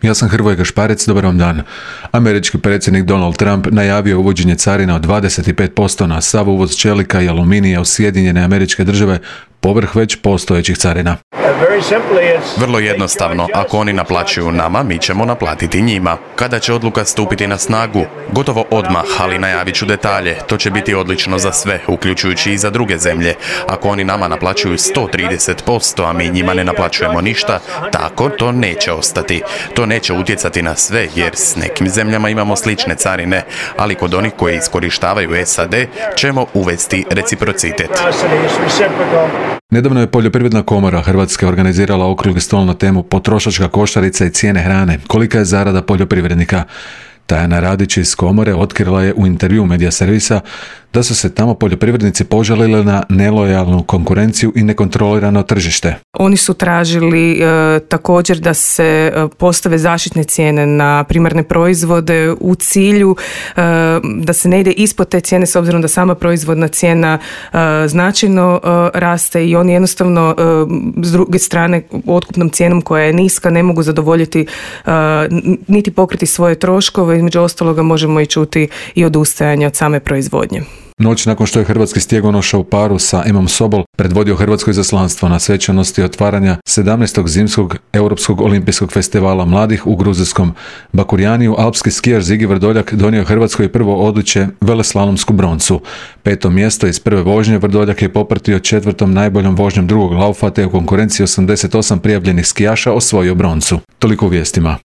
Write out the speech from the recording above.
Ja sam Hrvoje Gašparec, dobar vam dan. Američki predsjednik Donald Trump najavio uvođenje carina od 25% na sav uvoz čelika i aluminija u Sjedinjene Američke Države povrh već postojećih carina. Vrlo jednostavno, ako oni naplaćuju nama, mi ćemo naplatiti njima. Kada će odluka stupiti na snagu? Gotovo odmah, ali najavit ću detalje. To će biti odlično za sve, uključujući i za druge zemlje. Ako oni nama naplaćuju 130%, a mi njima ne naplaćujemo ništa, tako to neće ostati. To neće utjecati na sve, jer s nekim zemljama imamo slične carine, ali kod onih koji iskorištavaju SAD ćemo uvesti reciprocitet. Nedavno je Poljoprivredna komora Hrvatske organizirala okrugli stol na temu potrošačka košarica i cijene hrane. Kolika je zarada poljoprivrednika? Tajana Radić iz komore otkrila je u intervju Medija servisa da su se tamo poljoprivrednici požalili na nelojalnu konkurenciju i nekontrolirano tržište. Oni su tražili također da se postave zaštitne cijene na primarne proizvode u cilju da se ne ide ispod te cijene s obzirom da sama proizvodna cijena značajno raste i oni jednostavno s druge strane otkupnom cijenom koja je niska ne mogu zadovoljiti niti pokriti svoje troškove. Između ostaloga možemo i čuti i odustajanje od same proizvodnje. Noć nakon što je hrvatski stjegonoša u paru sa Emom Sobol predvodio hrvatsko izaslanstvo na svečanosti otvaranja 17. zimskog Europskog olimpijskog festivala mladih u gruzijskom Bakurjaniju, alpski skijaš Zigi Vrdoljak donio Hrvatskoj prvo odličje veleslalomsku broncu. 5. mjesto iz prve vožnje Vrdoljak je popratio 4. najboljom vožnjom drugog laufa te u konkurenciji 88 prijavljenih skijaša osvojio broncu. Toliko u vijestima.